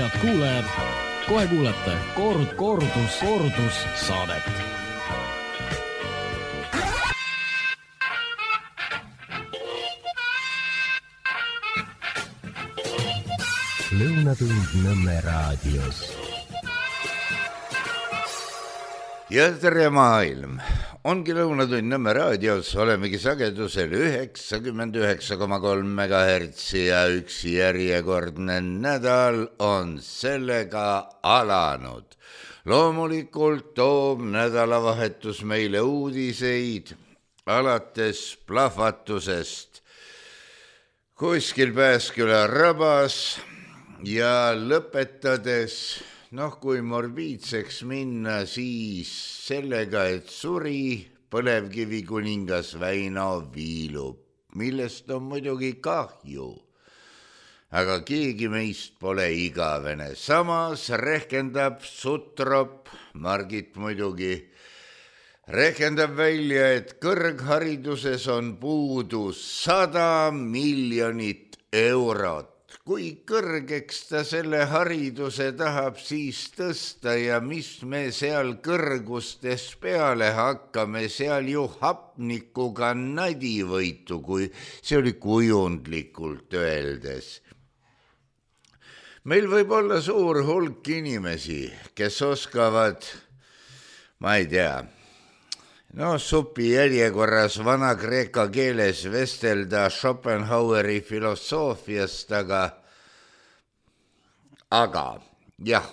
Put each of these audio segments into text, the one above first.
Head kuulajad, kohe kuulete kordus saadet. Lõunatund Nõmme raadios. Ja tere maailm! Ongi Lõunatund Nõmme raadios, olemegi sagedusel 99,3 MHz ja üks järjekordne nädal on sellega alanud. Loomulikult toob nädalavahetus meile uudiseid alates plahvatusest kuskil Pääsküla rabas ja lõpetades kui morbiidseks minna, siis sellega, et suri põlevkivi kuningas Väino Viilup, millest on muidugi kahju. Aga keegi meist pole igavene. Samas rehkendab Sutrop, Margit muidugi, rehkendab välja, et kõrghariduses on puudu 100 miljonit eurot. Kui kõrgeks ta selle hariduse tahab siis tõsta ja mis me seal kõrgustes peale hakkame, seal ju hapnikuga nadivõitu, kui see oli kujundlikult öeldes. Meil võib olla suur hulk inimesi, kes oskavad, ma ei tea, supi järjekorras vana kreeka keeles vestelda Schopenhaueri filosoofiast, aga jah,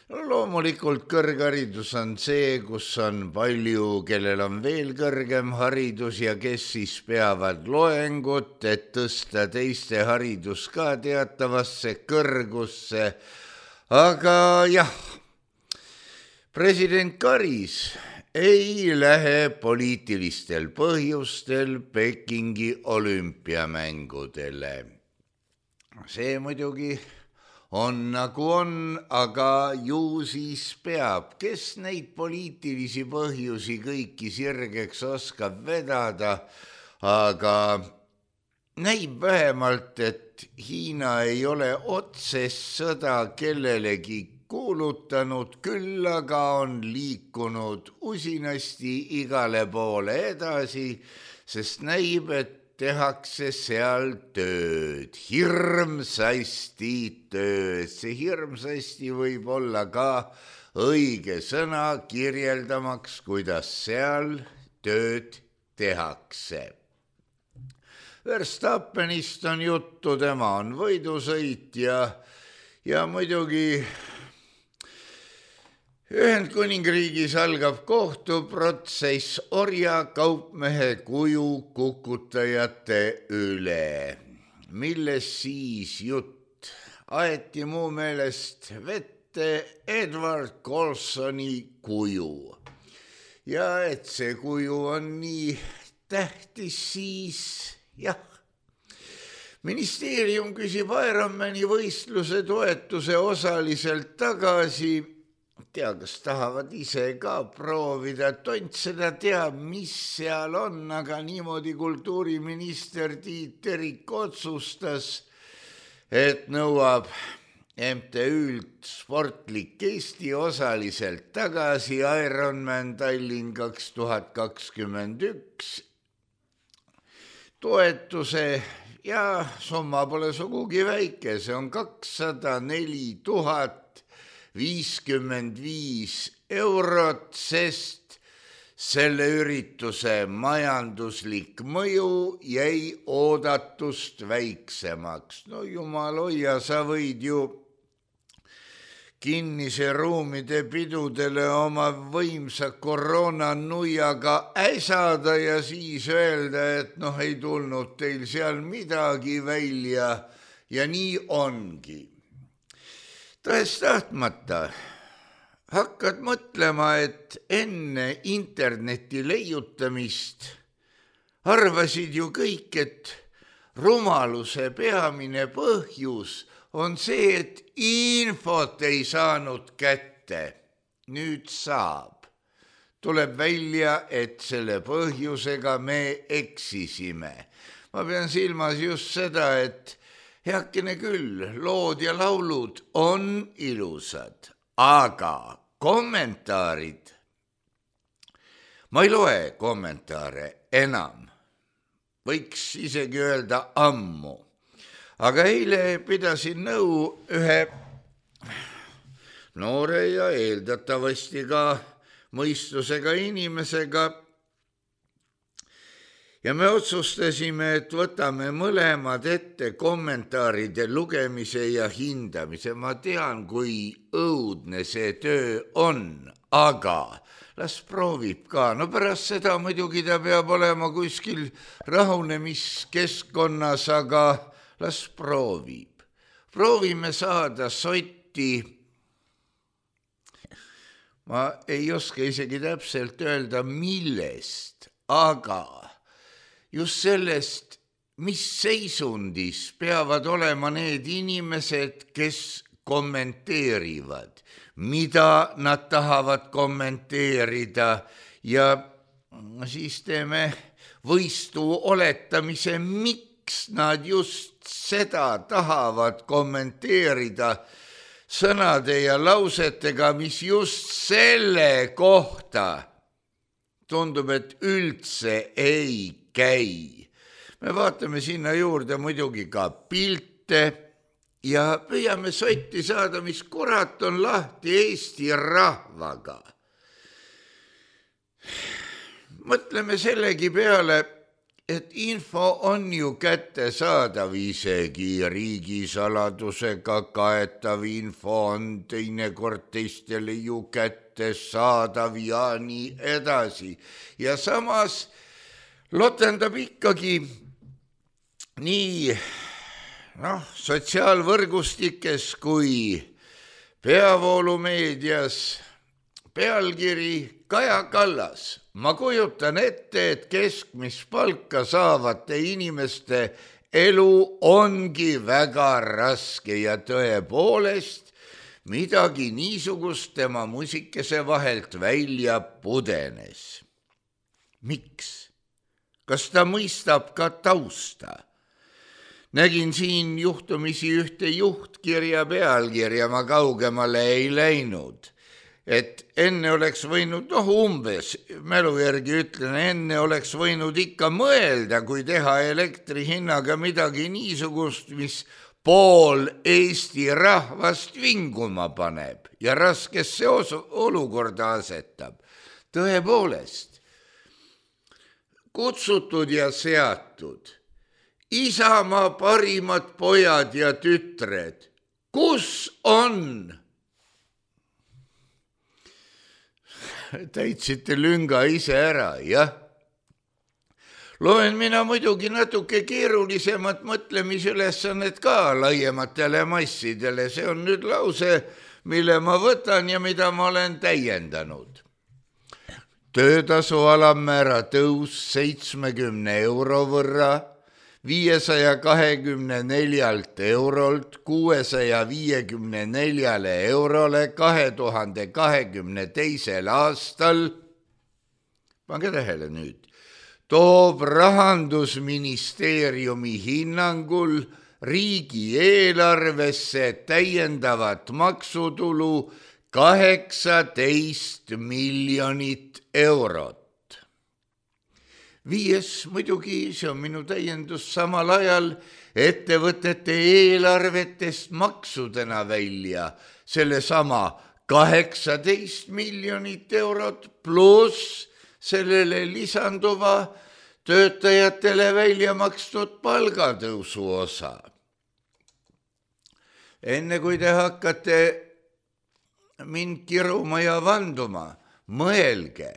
loomulikult kõrgharidus on see, kus on palju, kellel on veel kõrgem haridus ja kes siis peavad loengut, et tõsta teiste haridus ka teatavasse kõrgusse. Aga jah, president Karis ei lähe poliitilistel põhjustel Pekingi olümpiamängudele. See muidugi on nagu on, aga ju siis peab. Kes neid poliitilisi põhjusi kõiki sirgeks oskab vedada, aga näib vähemalt, et Hiina ei ole otsest sõda kellelegi kuulutanud, küll aga on liikunud usinasti igale poole edasi, sest näib, et tehakse seal tööd, hirmsasti tööd. See hirmsasti võib olla ka õige sõna kirjeldamaks, kuidas seal tööd tehakse. Verstappenist on juttu, tema on võidusõit ja muidugi Ühendkuningriigis algab kohtuprotsess orjakaupmehe kuju kukutajate üle, milles siis jutt aeti muu meelest vette Edward Colsoni kuju. Ja et see kuju on nii tähtis, siis jah. Ministeerium küsib Ironmani võistluse toetuse osaliselt tagasi. Tea, kas tahavad ise ka proovida, tont seda teab, mis seal on, aga niimoodi kultuuriminister Tiit Terik otsustas, et nõuab MTÜ-lt Sportlik Eesti osaliselt tagasi Ironman Tallinn 2021 toetuse ja summa pole sugugi väike, see on 204 055 eurot, sest selle ürituse majanduslik mõju jäi oodatust väiksemaks. No jumal hoia, sa võid ju kinnise ruumide pidudele oma võimsa koroonanuiaga äsada ja siis öelda, et ei tulnud teil seal midagi välja ja nii ongi. Tõest tahtmata hakkad mõtlema, et enne interneti leiutamist arvasid ju kõik, et rumaluse peamine põhjus on see, et infot ei saanud kätte. Nüüd saab. Tuleb välja, et selle põhjusega me eksisime. Ma pean silmas just seda, et heakene küll, lood ja laulud on ilusad, aga kommentaarid, ma ei loe kommentaare enam, võiks isegi öelda ammu, aga eile pidasin nõu ühe noore ja eeldatavasti ka mõistusega inimesega ja me otsustasime, et võtame mõlemad ette kommentaaride lugemise ja hindamise. Ma tean, kui õudne see töö on, aga las proovib ka. No pärast seda muidugi ta peab olema kuskil rahunemiskeskkonnas, aga las proovib. Proovime saada sotti. Ma ei oska isegi täpselt öelda, millest, aga just sellest, mis seisundis peavad olema need inimesed, kes kommenteerivad, mida nad tahavad kommenteerida ja siis teeme võistu oletamise, miks nad just seda tahavad kommenteerida sõnade ja lausetega, mis just selle kohta tundub, et üldse ei käi. Me vaatame sinna juurde muidugi ka pilte ja püüame sotti saada, mis kurat on lahti Eesti rahvaga. Mõtleme sellegi peale, et info on ju kättesaadav, isegi riigisaladusega kaetav info on teinekord teistele ju kättesaadav ja nii edasi. Ja samas lotendab ikkagi nii sotsiaalvõrgustikes kui peavoolumeedias pealkiri Kaja Kallas. Ma kujutan ette, et keskmist palka saavate inimeste elu ongi väga raske ja tõepoolest midagi niisugust tema musikese vahelt välja pudenes. Miks? Kas ta mõistab ka tausta? Nägin siin juhtumisi ühte juhtkirja pealkirja, ma kaugemale ei läinud. Et enne oleks võinud, umbes, mälu järgi ütlen, enne oleks võinud ikka mõelda, kui teha elektri hinnaga midagi niisugust, mis pool Eesti rahvast vinguma paneb ja raskesse olukorda asetab. Tõepoolest, kutsutud ja seatud, Isamaa parimad pojad ja tütred, kus on? Täitsite lünga ise ära, jah. Loen mina muidugi natuke keerulisemat mõtlemisülesannet ka laiematele massidele. See on nüüd lause, mille ma võtan ja mida ma olen täiendanud. Töötasu alammäära tõus 70 euro võrra, 524 eurolt 654 eurole 2022. aastal, pange tähele nüüd, toob Rahandusministeeriumi hinnangul riigieelarvesse täiendavat maksutulu 18 miljonit eurot. Viies muidugi, see on minu täiendus, samal ajal ettevõtete eelarvetest maksudena välja selle sama 18 miljonit eurot pluss sellele lisanduva töötajatele välja makstud palgatõusu osa. Enne kui te hakkate mind kiruma ja vanduma, mõelge,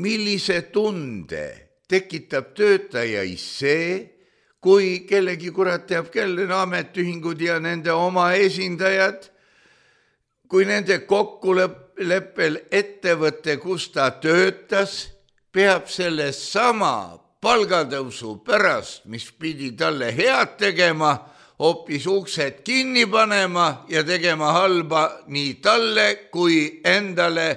millise tunde tekitab töötajais see, kui kellegi kurat teab kelle ametiühingud ja nende oma esindajad, kui nende kokkuleppel ettevõte, kus ta töötas, peab selle sama palgatõusu pärast, mis pidi talle head tegema, hoopis uksed kinni panema ja tegema halba nii talle kui endale,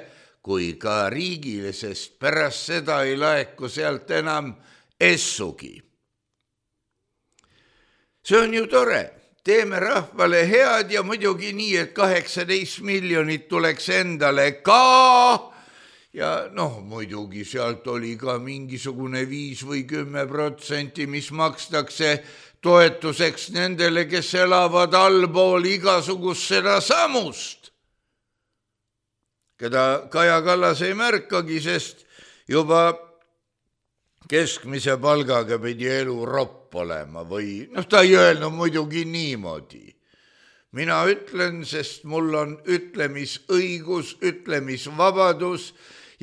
kui ka riigile, sest pärast seda ei laeku sealt enam essugi. see on ju tore, teeme rahvale head ja muidugi nii, et 18 miljonit tuleks endale ka. Ja muidugi sealt oli ka mingisugune 5 või 10%, mis makstakse toetuseks nendele, kes elavad allpool igasugust seda samust, keda Kaja Kallas ei märkagi, sest juba keskmise palgaga pidi elu ropp olema või ta ei öelnud muidugi niimoodi. Mina ütlen, sest mul on ütlemisõigus, ütlemisvabadus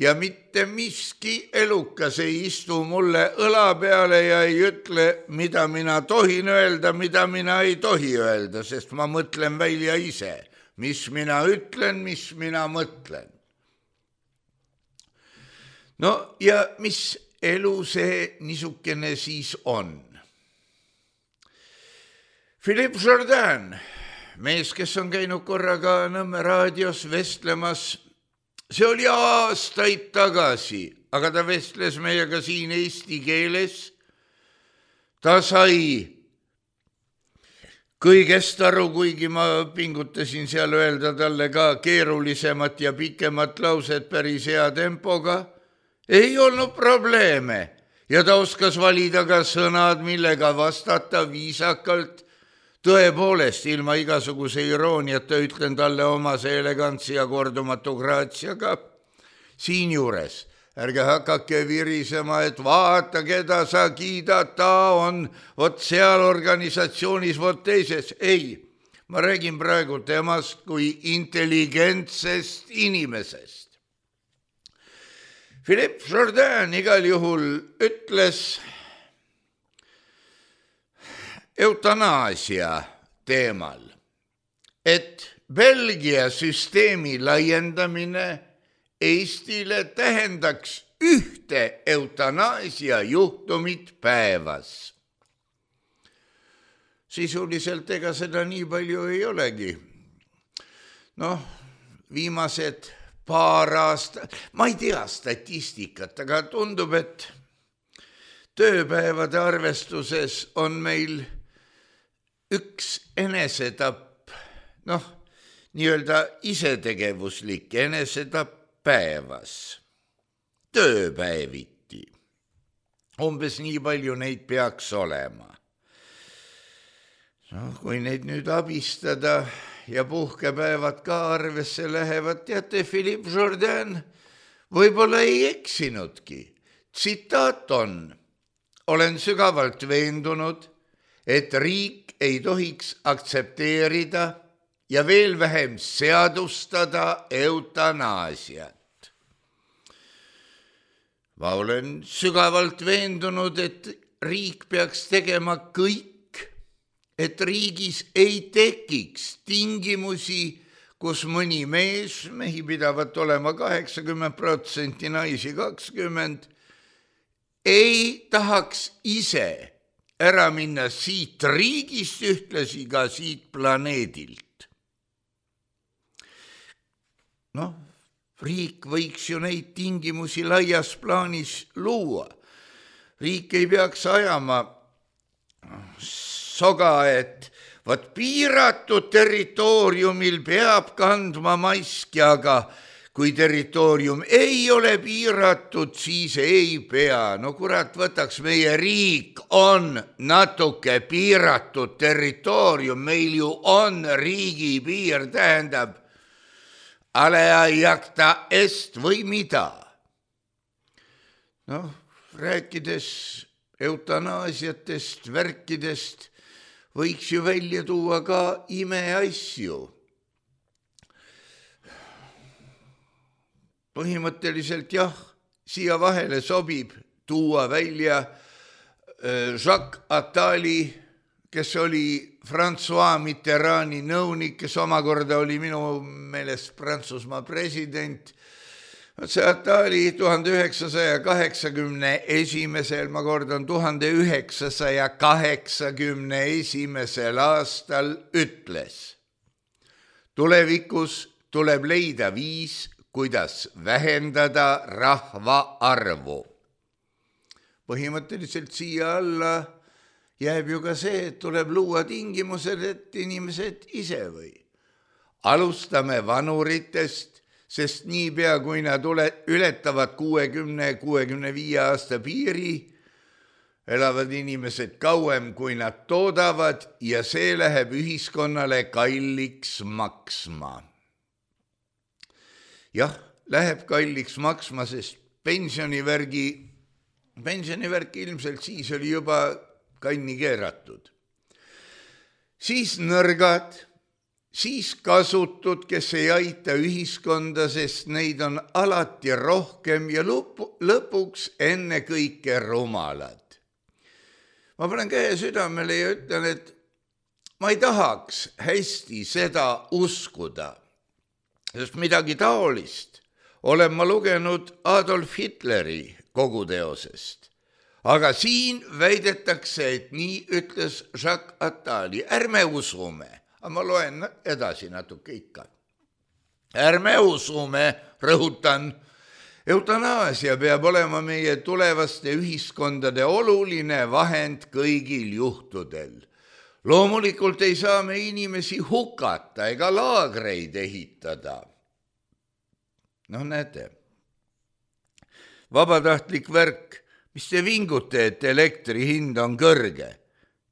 ja mitte miski elukas ei istu mulle õla peale ja ei ütle, mida mina tohin öelda, mida mina ei tohi öelda, sest ma mõtlen välja ise, mis mina ütlen, mis mina mõtlen. No ja mis elu see niisugune siis on? Philippe Jourdain, mees, kes on käinud korraga Nõmme raadios vestlemas, see oli aastaid tagasi, aga ta vestles meiega siin eesti keeles. Ta sai kõigest aru, kuigi ma pingutasin seal öelda talle ka keerulisemat ja pikemat lauset päris hea tempoga. Ei olnud probleeme ja ta oskas valida ka sõnad, millega vastata viisakalt. Tõepoolest, ilma igasuguse irooniata ütlen talle omase elegantsi ja kordumatu graatsiaga. Siin juures, ärge hakake virisema, et vaata, keda sa kiidad, ta on vot seal organisatsioonis, vot teises. Ei, ma räägin praegu temast kui intelligentsest inimesest. Philippe Jourdain igal juhul ütles eutanaasia teemal, et Belgia süsteemi laiendamine Eestile tähendaks ühte eutanaasia juhtumit päevas. Sisuliselt ega seda nii palju ei olegi. Viimased paar aastat, ma ei tea statistikat, aga tundub, et tööpäevade arvestuses on meil üks enesetapp, nii-öelda isetegevuslik enesetapp päevas, tööpäeviti. Umbes nii palju neid peaks olema. Kui neid nüüd abistada ja puhkepäevad ka arvesse lähevad, teate, Philippe Jourdain võib-olla ei eksinudki. Tsitaat on: olen sügavalt veendunud, et riik ei tohiks aktsepteerida ja veel vähem seadustada eutanaasiat. Ma olen sügavalt veendunud, et riik peaks tegema kõik, et riigis ei tekiks tingimusi, kus mõni mees, mehi pidavat olema 80%, naisi 20%, ei tahaks ise ära minna siit riigist, ühtlasi ka siit planeedilt. Riik võiks ju neid tingimusi laias plaanis luua. Riik ei peaks ajama soga, et vaat piiratud territooriumil peab kandma maski, aga kui territoorium ei ole piiratud, siis ei pea. Kurat, võtaks meie riik on natuke piiratud territoorium, meil ju on riigipiir, tähendab alea jacta est või mida. Rääkides eutanaasiatest, värkidest, võiks ju välja tuua ka imeasju. Põhimõtteliselt jah, siia vahele sobib tuua välja Jacques Attali, kes oli François Mitterrandi nõunik, kes omakorda oli minu meelest Prantsusmaa president. See Attali 1981, ma kordan, 1981 aastal ütles: tulevikus tuleb leida viis, kuidas vähendada rahva arvu. Põhimõtteliselt siia alla jääb ju ka see, et tuleb luua tingimused, et inimesed ise või. Alustame vanuritest, sest niipea, kui nad ületavad 60-65 aasta piiri, elavad inimesed kauem, kui nad toodavad ja see läheb ühiskonnale kalliks maksma. Jah, läheb kalliks maksma, sest pensionivärk ilmselt siis oli juba kanni keeratud. Siis nõrgad, siis kasutud, kes ei aita ühiskonda, sest neid on alati rohkem ja lõpuks enne kõike rumalad. Ma panen käe südamele ja ütlen, et ma ei tahaks hästi seda uskuda, sest midagi taolist olen ma lugenud Adolf Hitleri koguteosest. Aga siin väidetakse, et nii ütles Jacques Attali. Ärme usume, aga ma loen edasi natuke ikka. Ärme usume, rõhutan, eutanaasia peab olema meie tulevaste ühiskondade oluline vahend kõigil juhtudel. Loomulikult ei saa me inimesi hukata ega laagreid ehitada. No näete, vabatahtlik värk, mis te vingute, et elektri hind on kõrge.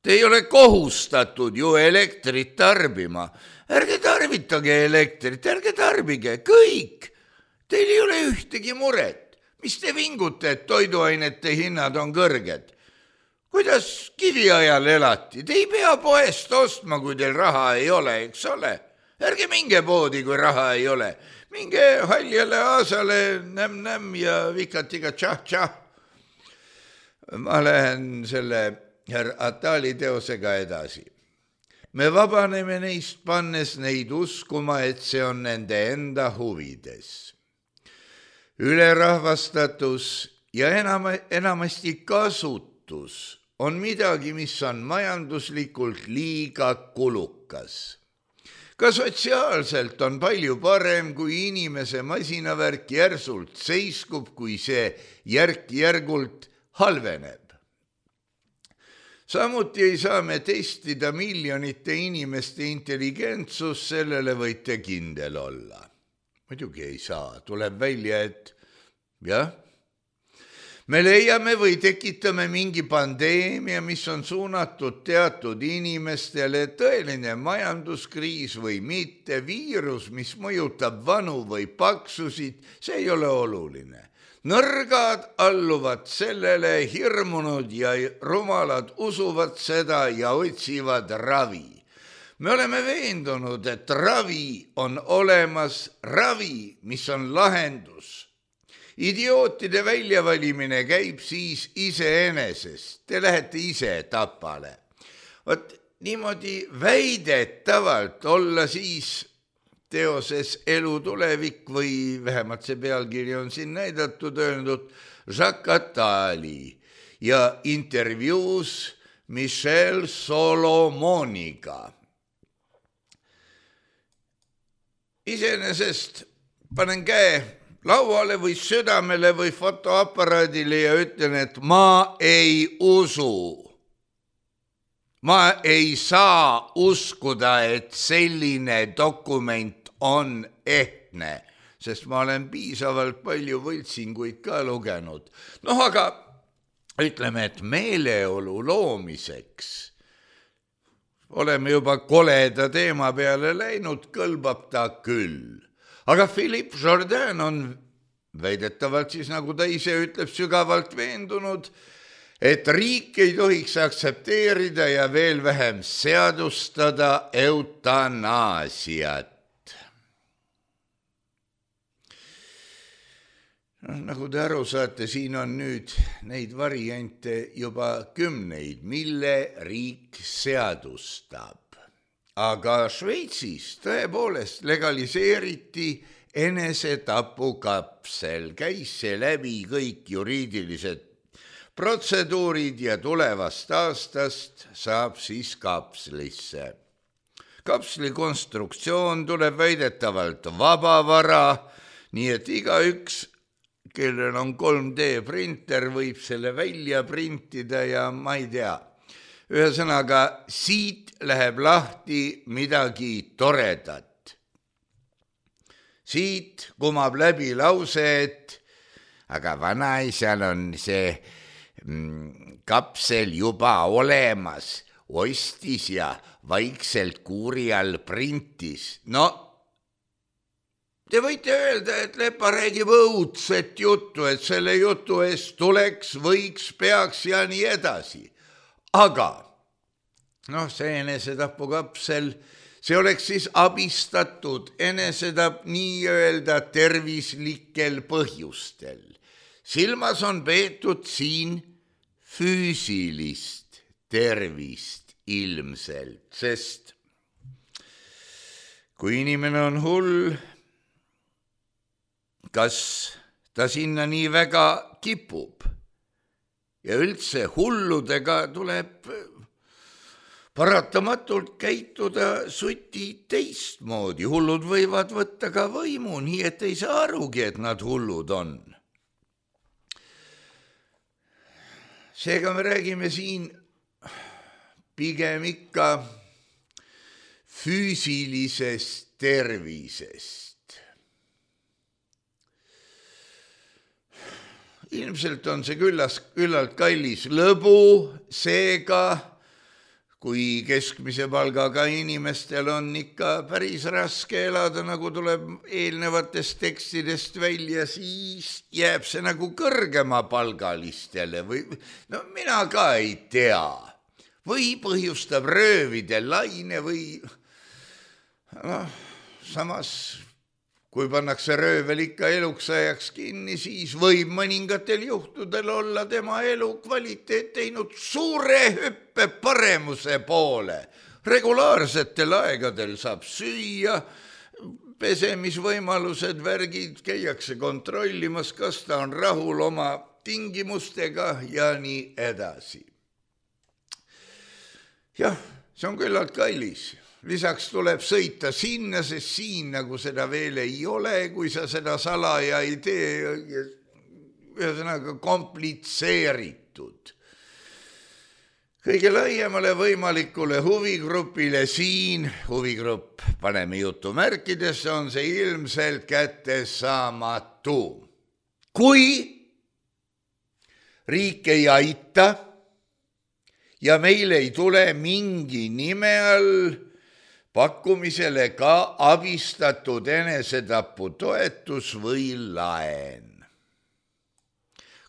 Te ei ole kohustatud ju elektrit tarbima. Ärge tarvitage elektrit, ärge tarbige, kõik. Teil ei ole ühtegi muret. Mis te vingute, et toiduainete hinnad on kõrged? Kuidas kiviajal elati? Te ei pea poest ostma, kui teil raha ei ole, eks ole? Ärge minge poodi, kui raha ei ole. Minge haljale aasale, näm ja vikatiga tšah-tšah. Ma lähen selle herr Attali teosega edasi. Me vabaneme neist, pannes neid uskuma, et see on nende enda huvides. Ülerahvastatus ja enamasti kasutus on midagi, mis on majanduslikult liiga kulukas. Ka sotsiaalselt on palju parem, kui inimese masinavärk järsult seiskub, kui see järk-järgult halveneb. Samuti ei saa me testida miljonite inimeste intelligentsust, sellele võite kindel olla. Muidugi ei saa, tuleb välja, et jah, me leiame või tekitame mingi pandeemia, mis on suunatud teatud inimestele, tõeline majanduskriis või mitte, viirus, mis mõjutab vanu või paksusid, see ei ole oluline. Nõrgad alluvad sellele, hirmunud ja rumalad usuvad seda ja otsivad ravi. Me oleme veendunud, et ravi on olemas, ravi, mis on lahendus. Idiootide väljavalimine käib siis iseenesest. Te lähete ise tapale. Vot niimoodi väidetavalt olla siis teoses Elu tulevik või vähemalt see pealkiri on siin näidatud, öeldud Jacques Attali ja intervjuus Michel Solomoniga. Iseenesest panen käe lauale või südamele või fotoaparaadile ja ütlen, et ma ei usu. Ma ei saa uskuda, et selline dokument on ehtne, sest ma olen piisavalt palju võltsinguid ka lugenud. Noh, aga ütleme, et meeleolu loomiseks oleme juba koleda teema peale läinud, kõlbab ta küll. Aga Philippe Jourdain on väidetavalt siis, nagu ta ise ütleb, sügavalt veendunud, et riik ei tohiks aktsepteerida ja veel vähem seadustada eutanaasiat. Nagu te aru saate, siin on nüüd neid variante juba kümneid, mille riik seadustab. Aga Šveitsis tõepoolest legaliseeriti enesetapukapsel, käis see läbi kõik juriidilised protseduurid ja tulevast aastast saab siis kapslisse. Kapsli konstruktsioon tuleb väidetavalt vabavara, nii et igaüks, kellel on 3D printer, võib selle välja printida ja ma ei tea. ühesõnaga, siit läheb lahti midagi toredat. Siit kumab läbi lause, et aga vanaisal on see kapsel juba olemas, ostis ja vaikselt kuuri all printis. No, te võite öelda, et Lepa räägib õudset juttu, et selle jutu eest tuleks, võiks, peaks ja nii edasi. Aga see enesetapukapsel, see oleks siis abistatud enesetapp nii-öelda tervislikel põhjustel. Silmas on peetud siin füüsilist tervist ilmselt, sest kui inimene on hull, kas ta sinna nii väga kipub ja üldse hulludega tuleb paratamatult käituda suti teistmoodi. Hullud võivad võtta ka võimu, nii et ei saa arugi, et nad hullud on. Seega me räägime siin pigem ikka füüsilisest tervisest. Ilmselt on see küllalt kallis lõbu, seega kui keskmise palgaga inimestel on ikka päris raske elada, nagu tuleb eelnevatest tekstidest välja, siis jääb see nagu kõrgema palgalistele või mina ka ei tea. Või põhjustab röövide laine või samas kui pannakse röövel ikka eluks ajaks kinni, siis võib mõningatel juhtudel olla tema elu kvaliteet teinud suure hüppe paremuse poole. Regulaarsetel aegadel saab süüa, pesemisvõimalused, värgid, käiakse kontrollimas, kas ta on rahul oma tingimustega ja nii edasi. Jah, see on küllalt kallis. Lisaks tuleb sõita sinna, sest siin nagu seda veel ei ole, kui sa seda salaja ei tee, ühesõnaga komplitseeritud. Kõige laiemale võimalikule huvigrupile siin, huvigrupp paneme jutumärkidesse, on see ilmselt kättesaamatu. Kui riik ei aita ja meil ei tule mingi nime all pakkumisele ka abistatud enesetapu toetus või laen.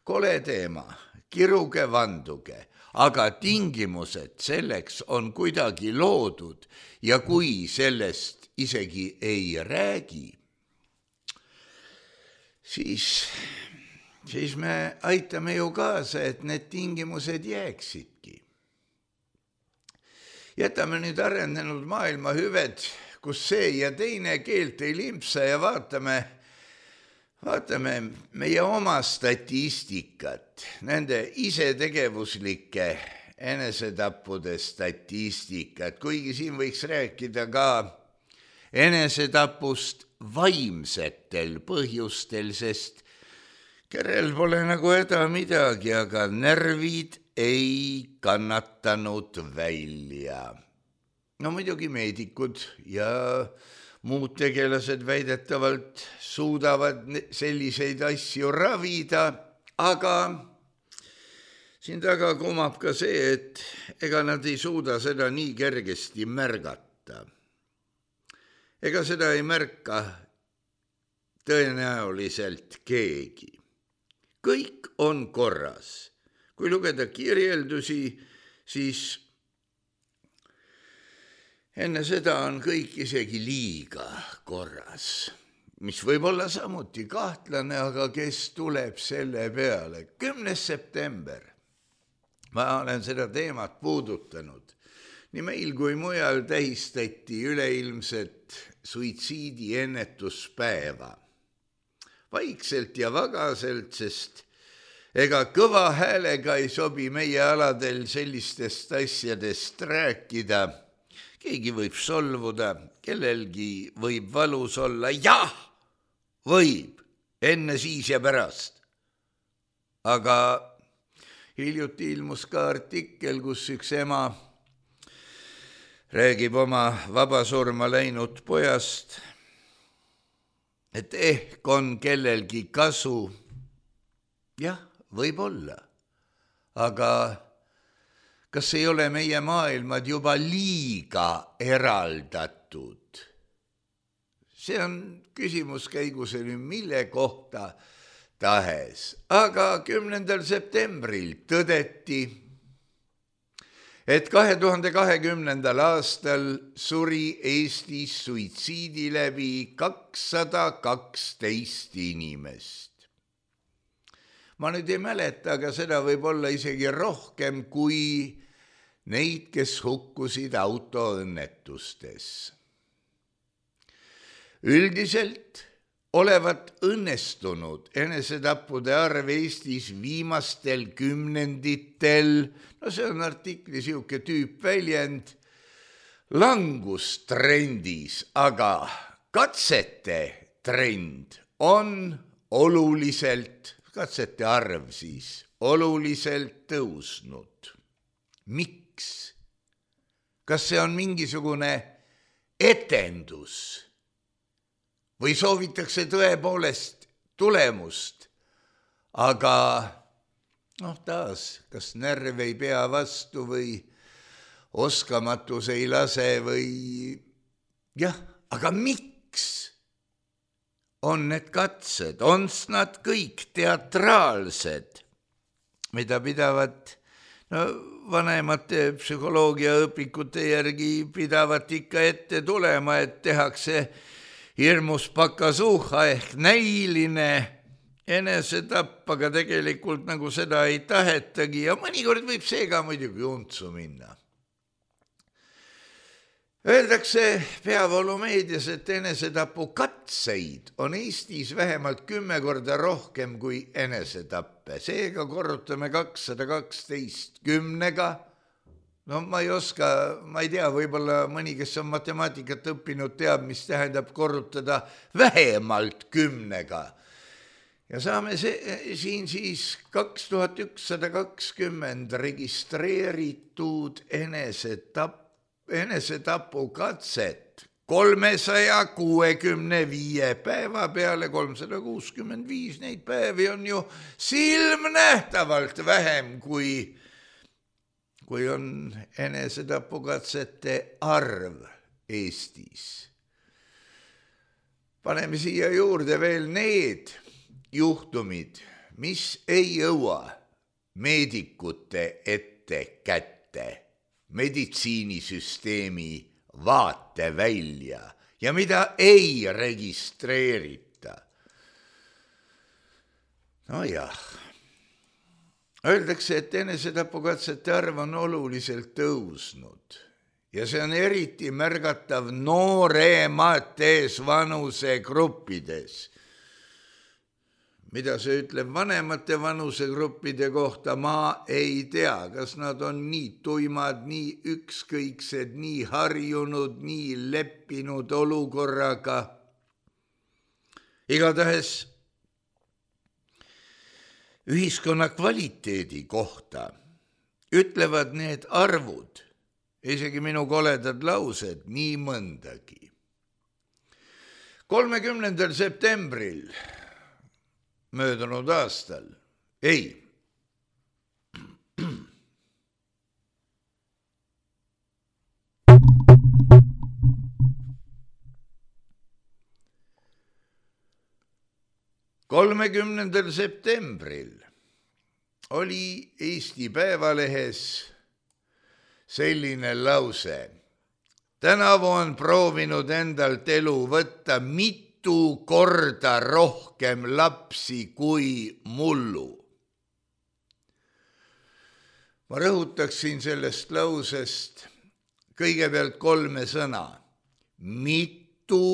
Kole teema, kiruge vanduge, aga tingimused selleks on kuidagi loodud ja kui sellest isegi ei räägi, siis me aitame ju kaasa, et need tingimused jääksidki. Jätame nüüd arenenud maailma hüved, kus see ja teine keelt ei limpsa ja vaatame meie oma statistikat, nende isetegevuslike enesetappude statistikat, kuigi siin võiks rääkida ka enesetapust vaimsetel põhjustel, sest kerel pole nagu häda midagi, aga närvid ei kannatanud välja. No muidugi meedikud ja muud tegelased väidetavalt suudavad selliseid asju ravida, aga siin taga kumab ka see, et ega nad ei suuda seda nii kergesti märgata. Ega seda ei märka tõenäoliselt keegi. Kõik on korras. Kui lugeda kirjeldusi, siis enne seda on kõik isegi liiga korras, mis võib olla samuti kahtlane, aga kes tuleb selle peale? 10. september. Ma olen seda teemat puudutanud. Nii meil kui mujal tähistati üleilmset suitsiidi ennetuspäeva. Vaikselt ja vagaselt, sest ega kõva häälega ei sobi meie aladel sellistest asjadest rääkida. Keegi võib solvuda, kellelgi võib valus olla. Jah, võib, enne, siis ja pärast. Aga hiljuti ilmus ka artikkel, kus üks ema räägib oma vabasurma läinud pojast, et ehk on kellelgi kasu. Jah, võib-olla. Aga kas ei ole meie maailmad juba liiga eraldatud? See on küsimus käiguseni mille kohta tahes. Aga 10. septembril tõdeti, et 2020. aastal suri Eestis suitsiidi läbi 212 inimest. Ma nüüd ei mäleta, aga seda võib olla isegi rohkem kui neid, kes hukkusid autoõnnetustes. Üldiselt olevat õnnestunud enesetappude arv Eestis viimastel kümnenditel, no see on artikli siuke tüüpväljend, langustrendis, aga katsete trend on katsete arv siis oluliselt tõusnud. Miks? Kas see on mingisugune etendus või soovitakse tõepoolest tulemust? Aga taas, kas närv ei pea vastu või oskamatus ei lase või jah, aga miks on need katsed, on nad kõik teatraalsed, mida pidavad vanemate psühholoogiaõpikute järgi pidavat ikka ette tulema, et tehakse hirmus pakasuuha ehk näiline enesetapp, aga tegelikult nagu seda ei tahetagi ja mõnikord võib see ka muidugi untsu minna. Öeldakse peavoolumeedias, et enesetapu katseid on Eestis vähemalt 10 korda rohkem kui enesetappe. Seega korrutame 212 10-ga. Ma ei tea, võib-olla mõni, kes on matemaatikat õppinud, teab, mis tähendab korrutada vähemalt 10-ga. Ja saame siin siis 2120 registreeritud enesetapu katset 365 päeva peale 365, neid päevi on ju silmnähtavalt vähem, kui on enesetapukatsete arv Eestis. Paneme siia juurde veel need juhtumid, mis ei jõua meedikute ette kätte, meditsiinisüsteemi vaate välja ja mida ei registreerita. Öeldakse, et enesetapukatsete arv on oluliselt tõusnud ja see on eriti märgatav nooremates vanusegruppides. Mida see ütleb vanemate vanusegruppide kohta, ma ei tea, kas nad on nii tuimad, nii ükskõiksed, nii harjunud, nii leppinud olukorraga. Igatahes ühiskonna kvaliteedi kohta ütlevad need arvud, isegi minu koledad laused, nii mõndagi. 30. septembril möödunud aastal, ei. 30. septembril oli Eesti Päevalehes selline lause. Tänavu on proovinud endalt elu võtta mitu korda rohkem lapsi kui mullu. Ma rõhutaksin sellest lausest kõigepealt 3 sõna. Mitu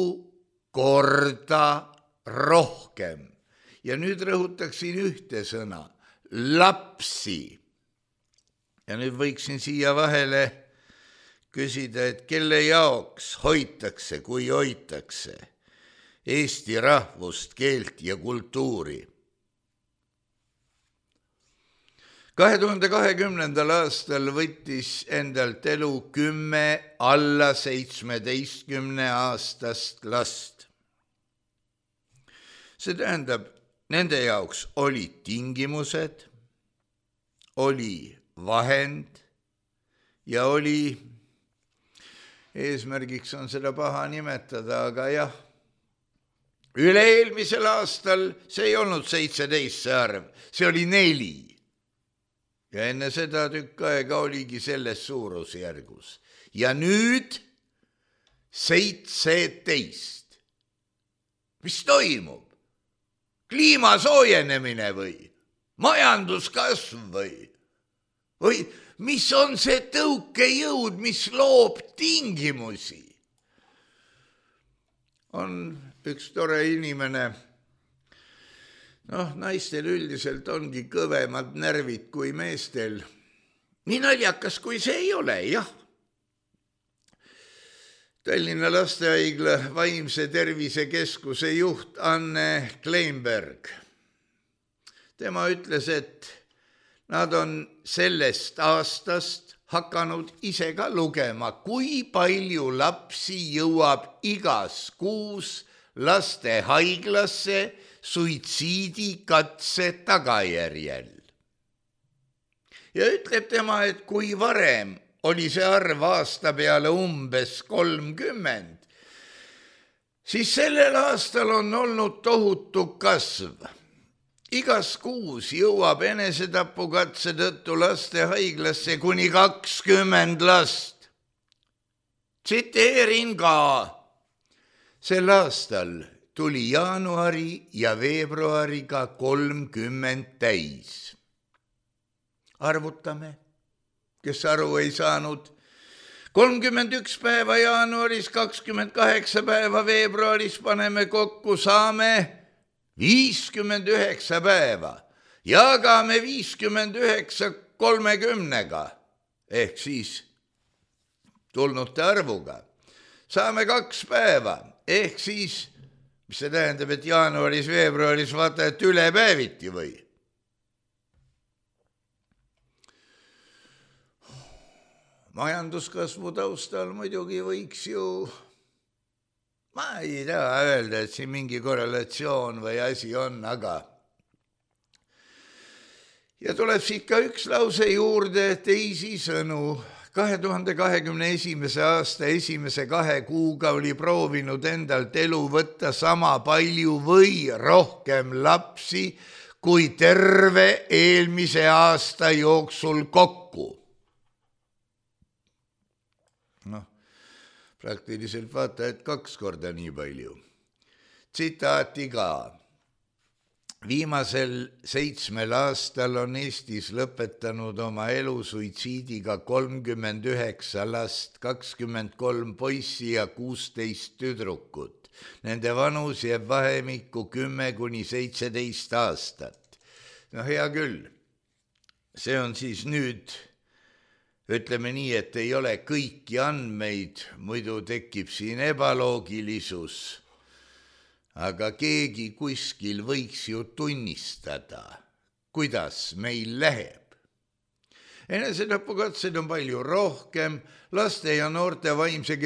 korda rohkem. Ja nüüd rõhutaksin 1 sõna. Lapsi. Ja nüüd võiksin siia vahele küsida, et kelle jaoks hoitakse, kui hoitakse Eesti rahvust, keelt ja kultuuri. 2020. aastal võttis endalt elu 10 alla 17-aastast last. See tähendab, nende jaoks olid tingimused, oli vahend ja oli, eesmärgiks on seda paha nimetada, aga jah, üle-eelmisel aastal see ei olnud 17 see arv, see oli 4. Ja enne seda tükk aega oligi selles suurusjärgus. Ja nüüd 17. Mis toimub? Kliima soojenemine või? Majanduskasv või? Või mis on see tõukejõud, mis loob tingimusi? On üks tore inimene, naistel üldiselt ongi kõvemad närvid kui meestel. Nii naljakas kui see ei ole, jah. Tallinna Lastehaigla vaimse tervise keskuse juht Anne Kleinberg. Tema ütles, et nad on sellest aastast hakanud ise ka lugema, kui palju lapsi jõuab igas kuus lastehaiglasse suitsiidikatse tagajärjel. Ja ütleb tema, et kui varem oli see arv aasta peale umbes 30, siis sellel aastal on olnud tohutu kasv. Igas kuus jõuab enesetapukatse tõttu lastehaiglasse kuni 20 last. Tsiteerin ka. Sel aastal tuli jaanuari ja veebruariga 30 täis. Arvutame, kes aru ei saanud. 31 päeva jaanuaris, 28 päeva veebruaris paneme kokku, saame 59 päeva. Jagame 59 30-ga, ehk siis tulnute arvuga. Saame 2 päeva, ehk siis mis see tähendab, et jaanuaris, veebruaris vaata, et üle päeviti või? Majanduskasvu taustal muidugi võiks ju, ma ei taha öelda, et siin mingi korrelatsioon või asi on, aga ja tuleb siit ka üks lause juurde, teisisõnu. 2021. aasta esimese 2 kuuga oli proovinud endalt elu võtta sama palju või rohkem lapsi kui terve eelmise aasta jooksul kokku. Praktiliselt vaata, et 2 korda nii palju. Tsitaati ka. Viimasel 7 aastal on Eestis lõpetanud oma elu suitsiidiga 39 last, 23 poissi ja 16 tüdrukut. Nende vanus jääb vahemikku 10 kuni 17 aastat. Hea küll, see on siis nüüd, ütleme nii, et ei ole kõiki andmeid, muidu tekib siin ebaloogilisus. Aga keegi kuskil võiks ju tunnistada, kuidas meil läheb. Enesetapukatseid on palju rohkem, laste ja noorte vaimse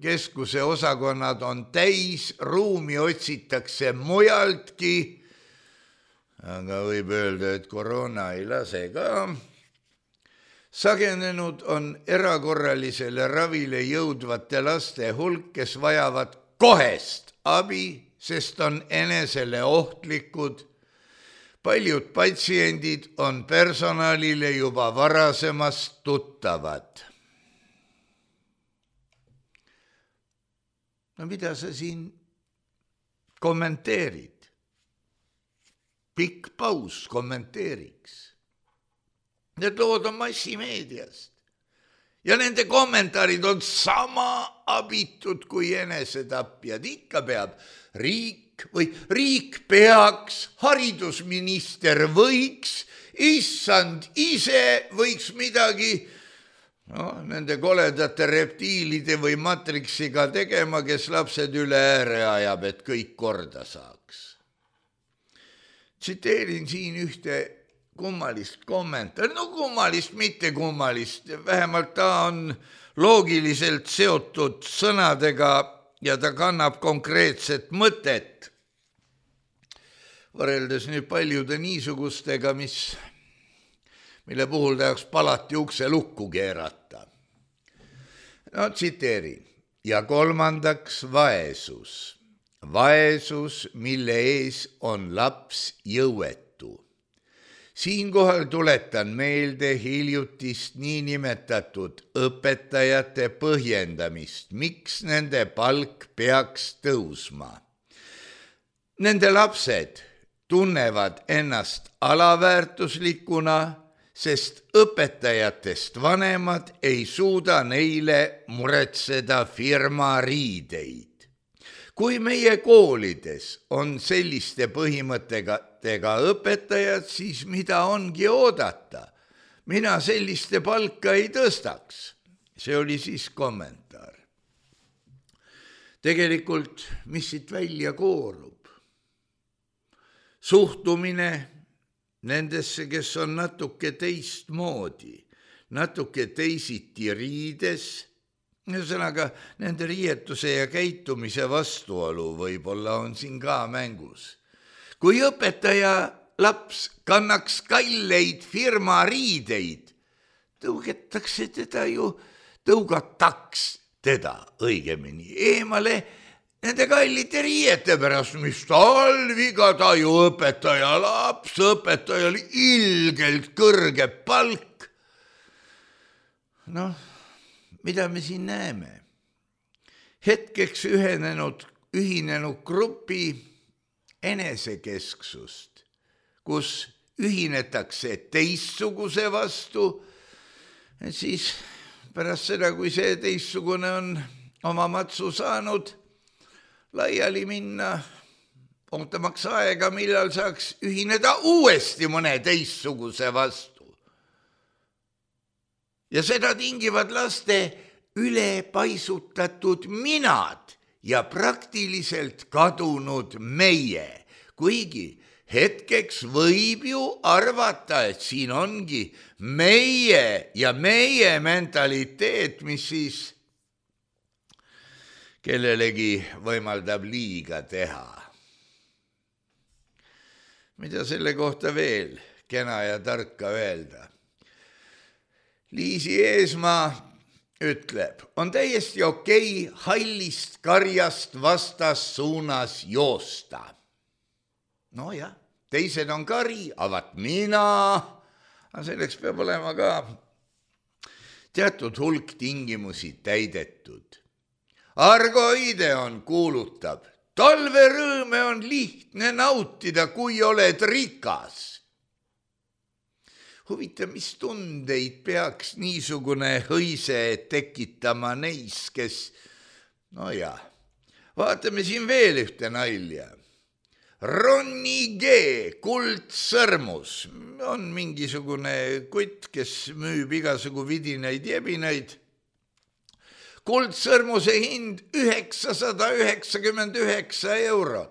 keskuse osakonnad on täis, ruumi otsitakse mujaltki, aga võib öelda, et koroona ei lase ka. Sagenenud on erakorralisele ravile jõudvate laste hulk, kes vajavad kohest abi, sest on enesele ohtlikud. Paljud patsiendid on personalile juba varasemast tuttavad. No mida sa siin kommenteerid? Pikk paus kommenteeriks. Need lood on massimeediast. Ja nende kommentaarid on sama abitud kui enesetapjad. Ikka peab riik peaks, haridusminister võiks, issand ise võiks midagi nende koledate reptiilide või matriksiga tegema, kes lapsed üle ääre ajab, et kõik korda saaks. Tsiteerin siin ühte kummalist kommentaari, no kummalist, mitte kummalist, vähemalt ta on loogiliselt seotud sõnadega ja ta kannab konkreetset mõtet. Võrreldes nüüd paljude niisugustega, mille puhul tahaks palati ukse lukku keerata. No tsiteerin. Ja kolmandaks vaesus. Vaesus, mille ees on laps jõuetu. Siinkohal tuletan meelde hiljutist niinimetatud õpetajate põhjendamist, miks nende palk peaks tõusma. Nende lapsed tunnevad ennast alaväärtuslikuna, sest õpetajatest vanemad ei suuda neile muretseda firma riideid. Kui meie koolides on selliste põhimõtetega õpetajad, siis mida ongi oodata? Mina selliste palka ei tõstaks. See oli siis kommentaar. Tegelikult, mis siit välja koorub? Suhtumine nendesse, kes on natuke teistmoodi, natuke teisiti riides, ühesõnaga nende riietuse ja käitumise vastuolu võib-olla on siin ka mängus. Kui õpetaja laps kannaks kalleid firma riideid, tõugataks teda õigemini eemale nende kallite riiete pärast, mis talviga ta ju õpetaja laps, õpetajal ilgelt kõrge palk. Noh, mida me siin näeme? Hetkeks ühinenud grupi enesekesksust, kus ühinetakse teistsuguse vastu, siis pärast seda, kui see teistsugune on oma matsu saanud, laiali minna, ootamaks aega, millal saaks ühineda uuesti mõne teistsuguse vastu. Ja seda tingivad laste ülepaisutatud minad ja praktiliselt kadunud meie, kuigi hetkeks võib ju arvata, et siin ongi meie ja meie mentaliteet, mis siis kellelegi võimaldab liiga teha. Mida selle kohta veel kena ja tarka öelda? Liisi Eesmaa ütleb, on täiesti okei hallist karjast vastassuunas joosta. No jah, teised on kari, avat mina, aga selleks peab olema ka teatud hulk tingimusi täidetud. Argo Ideon kuulutab, talverõõme on lihtne nautida, kui oled rikas. Huvitav, mis tundeid peaks niisugune hõise tekitama neis, kes, no jah, vaatame siin veel ühte nalja. Ronny G. Kuldsõrmus on mingisugune kutt, kes müüb igasugu vidinaid jebinaid. Kuldsõrmuse hind 999 €.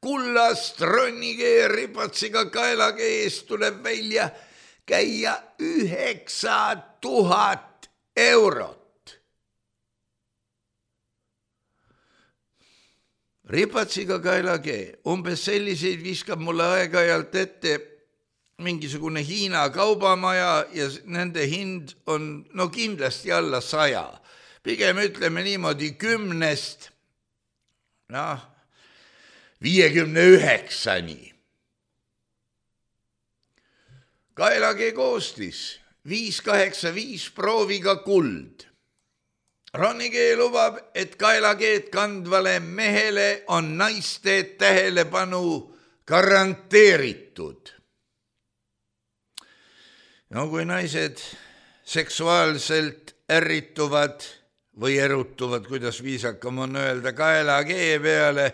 Kullast Ronny G. ripatsiga kaelage eest tuleb välja käia 9000 €. Ripatsiga kaelage, umbes selliseid viskab mulle aeg-ajalt ette mingisugune Hiina kaubamaja ja nende hind on no kindlasti alla 100. Pigem ütleme niimoodi 10-st, 59-ni. Kaelage koostis 585 prooviga kuld. Ronny G. lubab, et kaelageed kandvale mehele on naiste tähelepanu garanteeritud. No kui naised seksuaalselt ärrituvad või erutuvad, kuidas viisakam on öelda, kaelagee peale,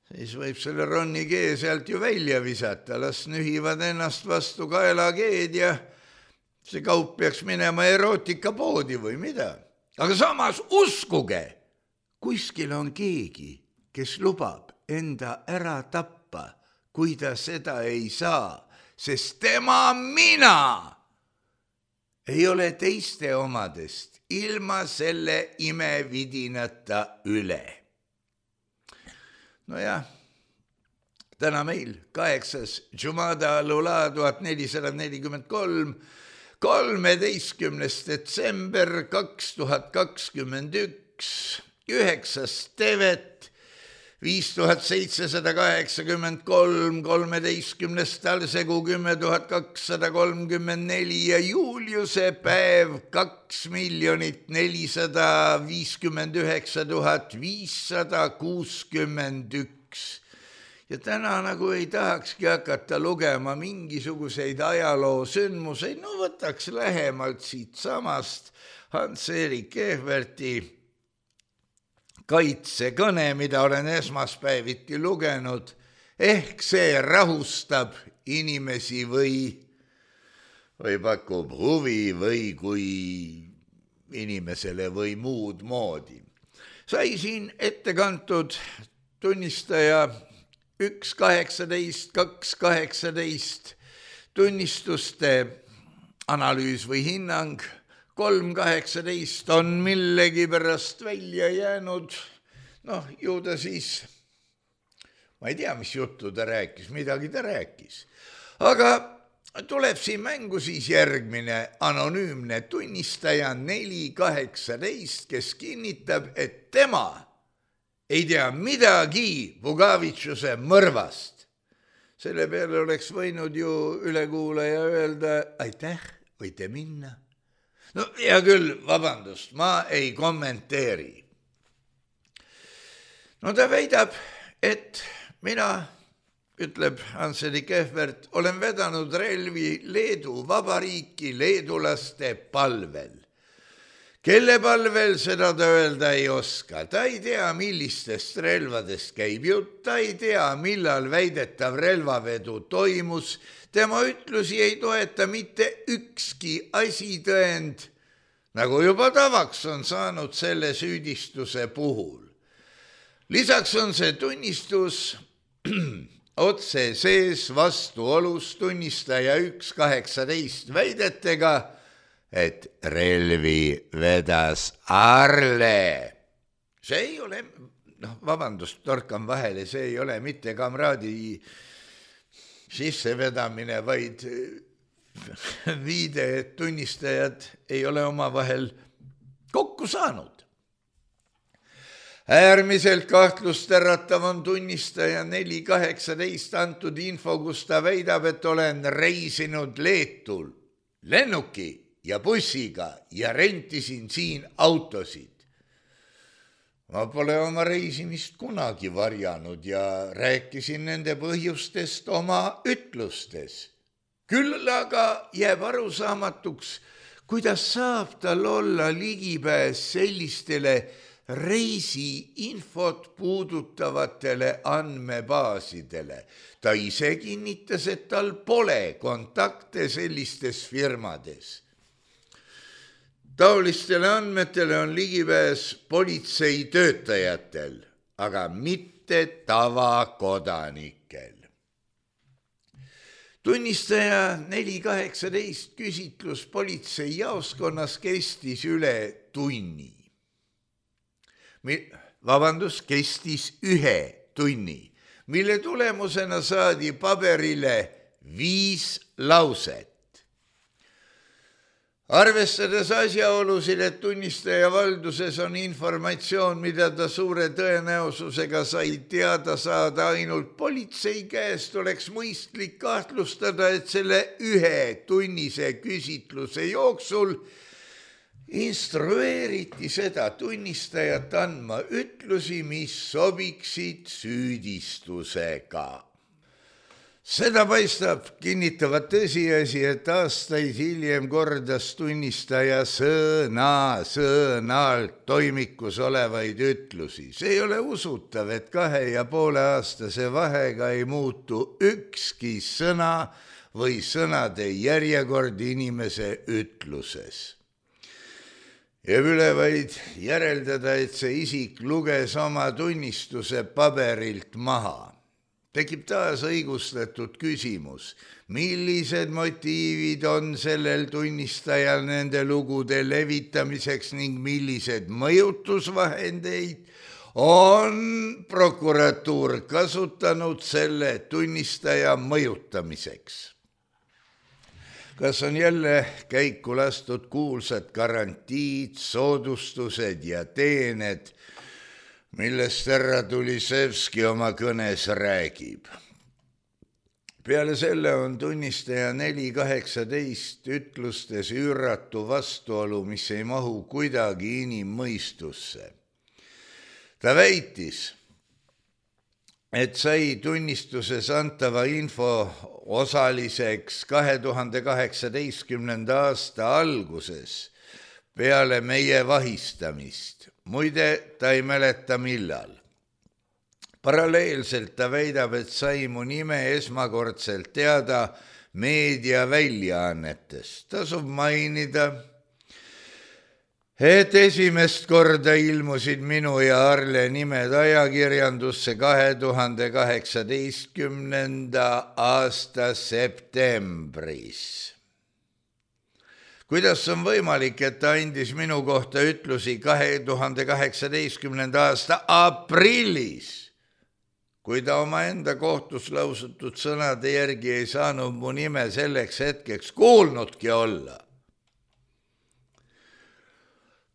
siis võib selle Ronny G. sealt ju välja visata, las nühivad ennast vastu kaelageed ja see kaup peaks minema erootikapoodi või mida. Aga samas uskuge, kuskil on keegi, kes lubab enda ära tappa, kui ta seda ei saa, sest tema mina ei ole teiste omadest ilma selle imevidinata üle. Nojah, täna meil 8. Jumada al-Ula 1443, 13. detsember 2021, 9. tevet 5783, 13. talsegu 10234 ja Juliuse päev 2,459,561. Ja täna nagu ei tahakski hakata lugema mingisuguseid ajaloosündmuseid, no võtaks lähemalt siit samast Hans-Erik Ehverti kaitsekõne, mida olen esmaspäeviti lugenud, ehk see rahustab inimesi või pakub huvi või kui inimesele või muud moodi. Sai siin ette kantud tunnistaja 1.18, 2.18 tunnistuste analüüs või hinnang. 3.18 on millegi pärast välja jäänud, ju ta siis, ma ei tea, mis juttu ta rääkis, midagi ta rääkis. Aga tuleb siin mängu siis järgmine anonüümne tunnistaja 4.18, kes kinnitab, et tema ei tea midagi Pugavitšuse mõrvast. Selle peale oleks võinud ju ülekuulaja öelda, aitäh, võite minna. No hea küll, vabandust, ma ei kommenteeri. No ta väidab, et mina, ütleb Hans-Erik Ehvert, olen vedanud relvi Leedu vabariiki leedulaste palvel. Kelle palvel, seda ta öelda ei oska. Ta ei tea, millistest relvadest käib jutt, ta ei tea, millal väidetav relvavedu toimus. Tema ütlusi ei toeta mitte ükski asitõend, nagu juba tavaks on saanud selle süüdistuse puhul. Lisaks on see tunnistus otse sees vastuolus tunnistaja 1.18 väidetega, et relvi vedas Arle. See ei ole, vabandust, torkan vahele, see ei ole mitte kamraadi sissevedamine, vaid viide, et tunnistajad ei ole omavahel kokku saanud. Äärmiselt kahtlustäratav on tunnistaja 4.18 antud info, kus ta väidab, et olen reisinud Leetul lennuki ja bussiga ja rentisin siin autosid. Ma pole oma reisimist kunagi varjanud ja rääkisin nende põhjustest oma ütlustes. Küll aga jääb arusaamatuks, kuidas saab tal olla ligipääs sellistele reisiinfot puudutavatele andmebaasidele. Ta ise kinnitas, et tal pole kontakte sellistes firmades. Taolistele andmetele on ligipääs politsei töötajatel, aga mitte tavakodanikel. Tunnistaja 4.18 küsitlus politsei jaoskonnas kestis üle tunni. Kestis 1 tunni, mille tulemusena saadi paberile 5 lauset. Arvestades asjaolusid, et tunnistaja valduses on informatsioon, mida ta suure tõenäosusega sai teada saada ainult politsei käest, oleks mõistlik kahtlustada, et selle 1 tunnise küsitluse jooksul instrueeriti seda tunnistajat andma ütlusi, mis sobiksid süüdistusega. Seda paistab kinnitavat tõsiasi, et aastaid hiljem kordas tunnistaja sõna-sõnalt toimikus olevaid ütlusi. See ei ole usutav, et 2,5-aastase vahega ei muutu ükski sõna või sõnade järjekord inimese ütluses. Jääb üle vaid järeldada, et see isik luges oma tunnistuse paberilt maha. tekib taas õigustatud küsimus, millised motiivid on sellel tunnistajal nende lugude levitamiseks ning millised mõjutusvahendeid on prokuratuur kasutanud selle tunnistaja mõjutamiseks. Kas on jälle käiku lastud kuulsad garantiid, soodustused ja teened, millest härra Tulisevski oma kõnes räägib? Peale selle on tunnistaja 4.18 ütlustes üüratu vastuolu, mis ei mahu kuidagi inimmõistusse. Ta väitis, et sai tunnistuses antava info osaliseks 2018. aasta alguses peale meie vahistamist. Muide, ta ei mäleta millal. Paralleelselt ta väidab, et sai mu nime esmakordselt teada meediaväljaannetest. Tasub mainida, et esimest korda ilmusid minu ja Arle nimed ajakirjandusse 2018. aasta septembris. Kuidas on võimalik, et ta andis minu kohta ütlusi 2018. aasta aprillis, kui ta omaenda kohtus lausutud sõnade järgi ei saanud mu nime selleks hetkeks kuulnudki olla?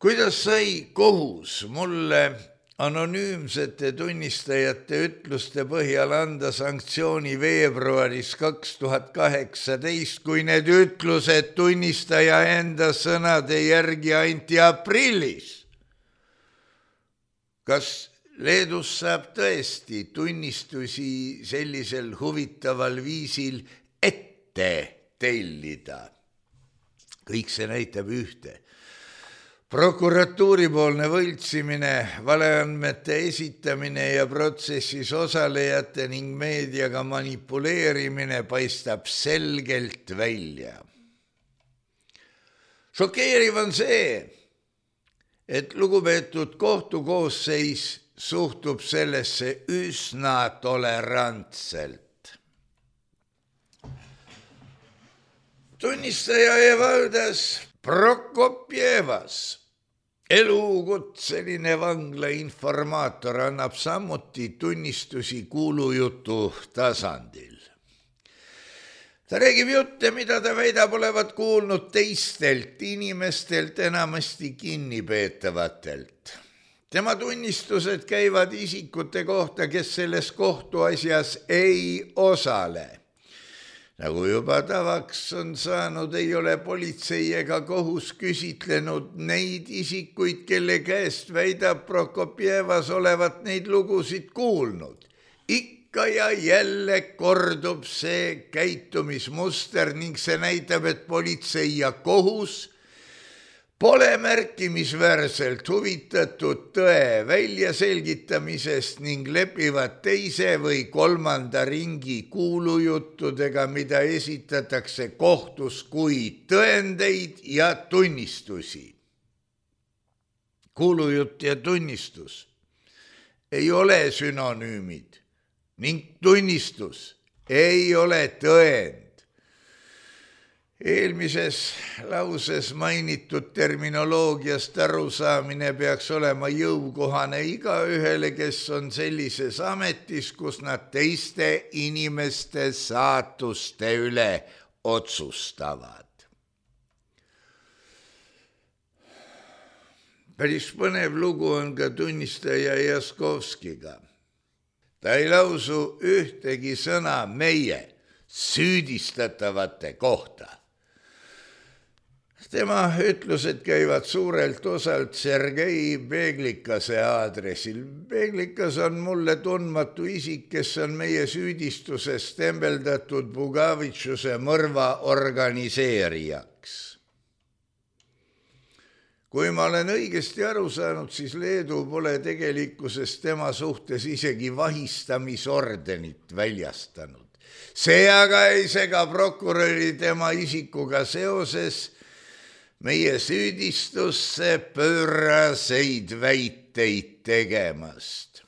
Kuidas sai kohus mulle anonüümsete tunnistajate ütluste põhjal anda sanktsiooni veebruaris 2018, kui need ütlused tunnistaja enda sõnade järgi anti aprillis? Kas Leedus saab tõesti tunnistusi sellisel huvitaval viisil ette tellida? Kõik see näitab ühte. Prokuratuuripoolne võltsimine, valeandmete esitamine ja protsessis osalejate ning meediaga manipuleerimine paistab selgelt välja. Šokeeriv on see, et lugupeetud kohtukoosseis suhtub sellesse üsna tolerantselt. Tunnistaja Evaldas Prokopjevas, elukutseline vangla informaator, annab samuti tunnistusi kuulujutu tasandil. Ta räägib jutte, mida ta väidab olevat kuulnud teistelt inimestelt, enamasti kinnipeetavatelt. Tema tunnistused käivad isikute kohta, kes selles kohtuasjas ei osale. Nagu juba tavaks on saanud, ei ole politsei ega kohus küsitlenud neid isikuid, kelle käest väidab Prokopjevas olevat neid lugusid kuulnud. Ikka ja jälle kordub see käitumismuster ning see näitab, et politsei ja kohus pole märkimisväärselt huvitatud tõe väljaselgitamisest ning lepivad teise või kolmanda ringi kuulujuttudega, mida esitatakse kohtus kui tõendeid ja tunnistusi. Kuulujutt ja tunnistus ei ole sünonüümid ning tunnistus ei ole tõend. Eelmises lauses mainitud terminoloogiast arusaamine peaks olema jõukohane igaühele, kes on sellises ametis, kus nad teiste inimeste saatuste üle otsustavad. Päris põnev lugu on ka tunnistaja Jaskovskiga. Ta ei lausu ühtegi sõna meie süüdistatavate kohta. Tema ütlused käivad suurelt osalt Sergei Beglikase aadressil. Beglikas on mulle tundmatu isik, kes on meie süüdistuses tembeldatud Bugavitšuse mõrva organiseerijaks. Kui ma olen õigesti aru saanud, siis Leedu pole tegelikkuses tema suhtes isegi vahistamisordenit väljastanud. See aga ei sega prokuröri tema isikuga seoses meie süüdistusse pööraseid väiteid tegemast.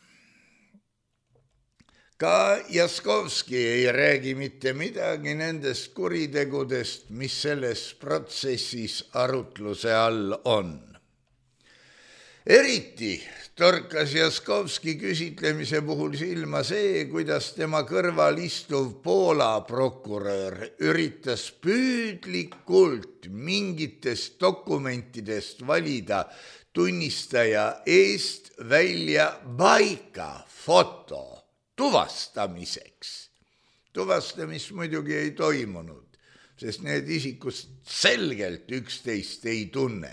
Ka Jaskovski ei räägi mitte midagi nendest kuritegudest, mis selles protsessis arutluse all on. Eriti torkas Jaskovski küsitlemise puhul silma see, kuidas tema kõrval istuv Poola prokurör üritas püüdlikult mingitest dokumentidest valida tunnistaja eest välja paika foto tuvastamiseks. Tuvastamist muidugi ei toimunud, sest need isikud selgelt üksteist ei tunne.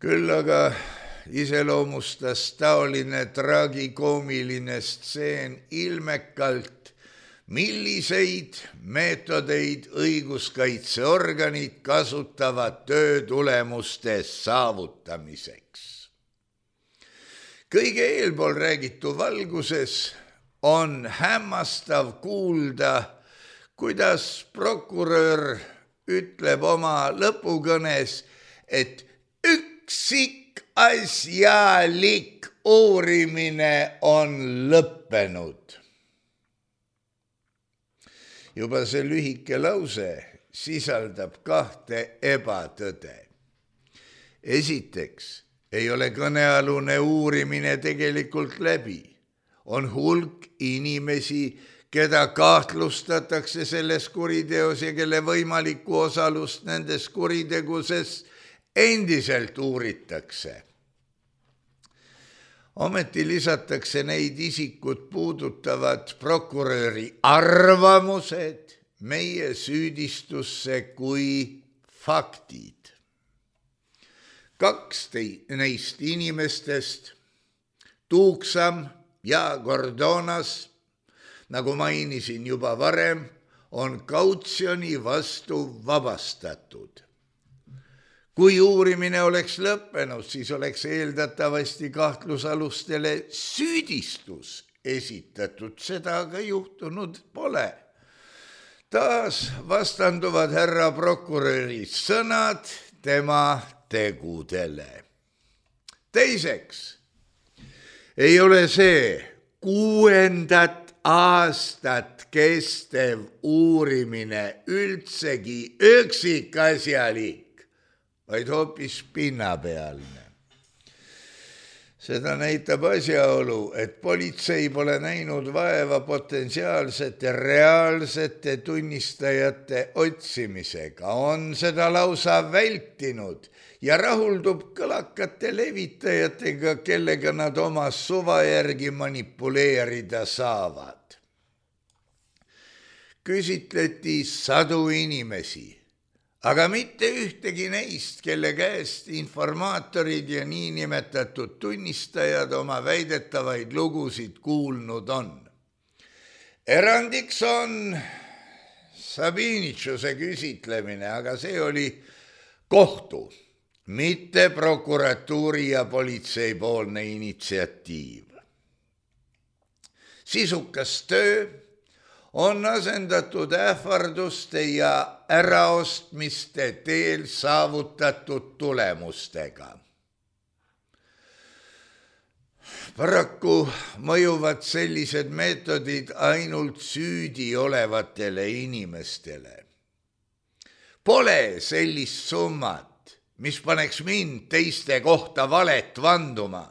Küll aga iseloomustas taoline tragikoomiline stseen ilmekalt, milliseid meetodeid õiguskaitseorganid kasutavad töö tulemuste saavutamiseks. Kõige eelpool räägitu valguses on hämmastav kuulda, kuidas prokurör ütleb oma lõpukõnes, et üksikasjalik uurimine on lõppenud. Juba see lühike lause sisaldab kahte ebatõde. Esiteks, ei ole kõnealune uurimine tegelikult läbi. On hulk inimesi, keda kahtlustatakse selles kuriteos ja kelle võimalikku osalust nendes kuriteguses endiselt uuritakse. Ometi lisatakse neid isikut puudutavad prokuröri arvamused meie süüdistusse kui faktid. Kaks neist inimestest, Tuuksam ja Gordonas, nagu mainisin juba varem, on kautsjoni vastu vabastatud. Kui uurimine oleks lõppenud, siis oleks eeldatavasti kahtlusalustele süüdistus esitatud, seda aga juhtunud pole. Taas vastanduvad härra prokuröri sõnad tema tegudele. Teiseks, ei ole see 6. aastat kestev uurimine üldsegi üksikasjalik, vaid hoopis pinnapealne. Seda näitab asjaolu, et politsei pole näinud vaeva potentsiaalsete reaalsete tunnistajate otsimisega, on seda lausa vältinud ja rahuldub kõlakate levitajatega, kellega nad oma suva järgi manipuleerida saavad. Küsitleti sadu inimesi, aga mitte ühtegi neist, kelle käest informaatorid ja niinimetatud tunnistajad oma väidetavaid lugusid kuulnud on. Erandiks on Sabinitsuse küsitlemine, aga see oli kohtu, mitte prokuratuuri ja politsei poolne initsiatiiv. Sisukas töö on asendatud ähvarduste ja äraostmiste teel saavutatud tulemustega. Paraku mõjuvad sellised meetodid ainult süüdi olevatele inimestele. Pole sellist summat, mis paneks mind teiste kohta valet vanduma,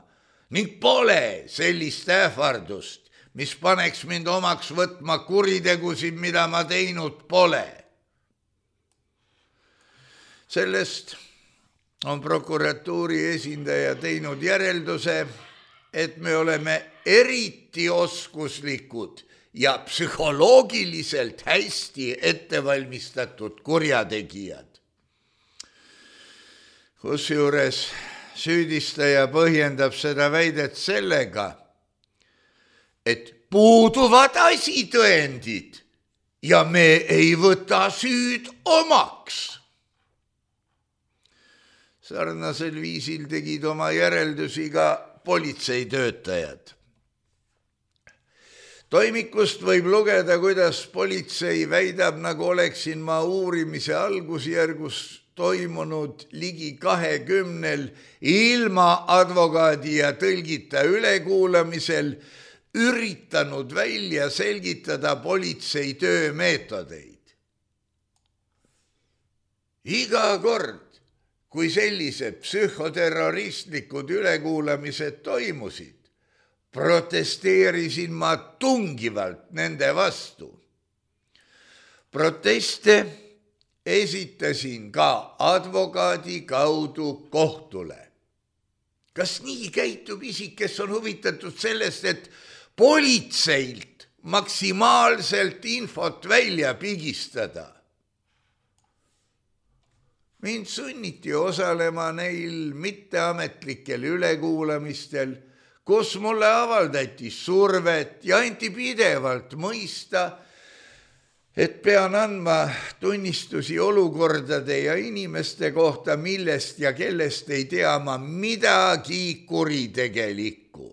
ning pole sellist ähvardust, mis paneks mind omaks võtma kuritegusid, mida ma teinud pole. Sellest on prokuratuuri esindaja teinud järelduse, et me oleme eriti oskuslikud ja psühholoogiliselt hästi ettevalmistatud kurjategijad. Kusjuures süüdistaja põhjendab seda väidet sellega, et puuduvad asitõendid ja me ei võta süüd omaks. Sarnasel viisil tegid oma järeldusi ka politseitöötajad. Toimikust võib lugeda, kuidas politsei väidab, nagu oleksin ma uurimise algusjärgus toimunud ligi 20 ilma advokaadi ja tõlgita ülekuulamisel üritanud välja selgitada politsei töömeetodeid. Iga kord, kui sellised psühhoterroristlikud ülekuulamised toimusid, protesteerisin ma tungivalt nende vastu. Proteste esitasin ka advokaadi kaudu kohtule. Kas nii käitub isik, kes on huvitatud sellest, et politseilt maksimaalselt infot välja pigistada? Mind sunniti osalema neil mitteametlikel ülekuulamistel, kus mulle avaldati survet ja anti pidevalt mõista, et pean andma tunnistusi olukordade ja inimeste kohta, millest ja kellest ei tea ma midagi kuritegelikku.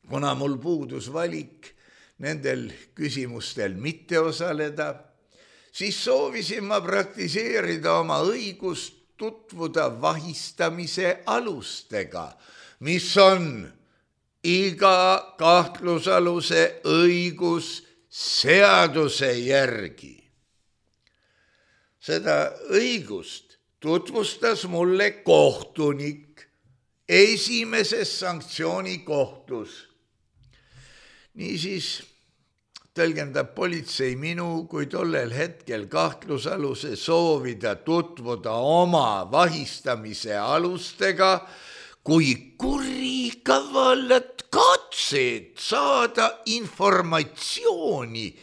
Kuna mul puudus valik nendel küsimustel mitte osaleda, siis soovisin ma praktiseerida oma õigust tutvuda vahistamise alustega, mis on iga kahtlusaluse õigus seaduse järgi. Seda õigust tutvustas mulle kohtunik esimeses sanktsioonikohtus. Niisiis tõlgendab politsei minu kui tollel hetkel kahtlusaluse soovida tutvuda oma vahistamise alustega kui kurikavalat katset saada informatsiooni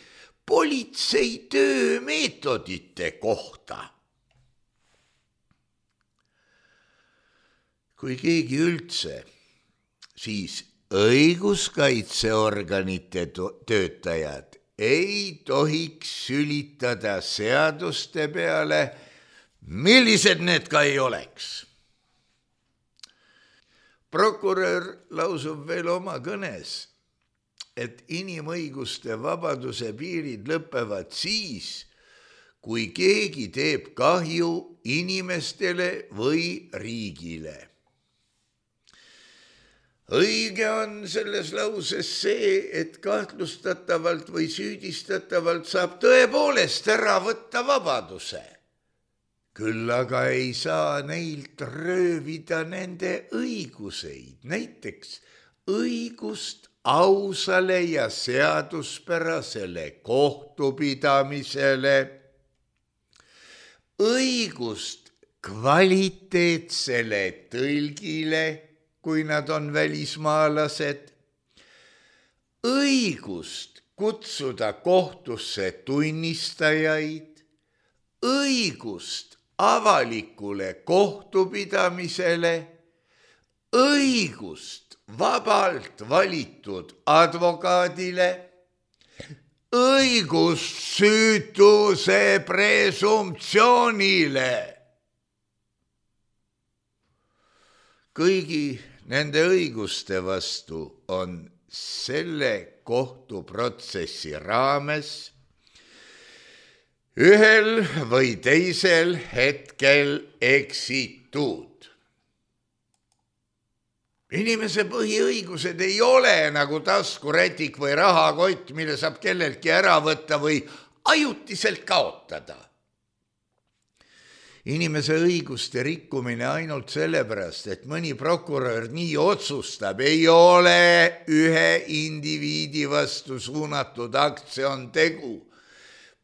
politsei töömeetodite kohta. Kui keegi üldse, siis õiguskaitseorganite töötajad ei tohiks sülitada seaduste peale, millised need ka ei oleks. Prokurör lausub veel oma kõnes, et inimõiguste vabaduse piirid lõpevad siis, kui keegi teeb kahju inimestele või riigile. Õige on selles lauses see, et kahtlustatavalt või süüdistatavalt saab tõepoolest ära võtta vabaduse. Küll aga ei saa neilt röövida nende õiguseid, näiteks õigust ausale ja seaduspärasele kohtupidamisele, õigust kvaliteetsele tõlgile, kui nad on välismaalased, õigust kutsuda kohtusse tunnistajaid, õigust avalikule kohtupidamisele, õigust vabalt valitud advokaadile, õigust süütuse presumptsioonile. Kõigi nende õiguste vastu on selle kohtuprotsessi raames ühel või teisel hetkel eksitud. Inimese põhiõigused ei ole nagu taskurätik või rahakott, mille saab kelleltki ära võtta või ajutiselt kaotada. Inimese õiguste rikkumine ainult sellepärast, et mõni prokurör nii otsustab, ei ole ühe indiviidi vastu suunatud akt, see on tegu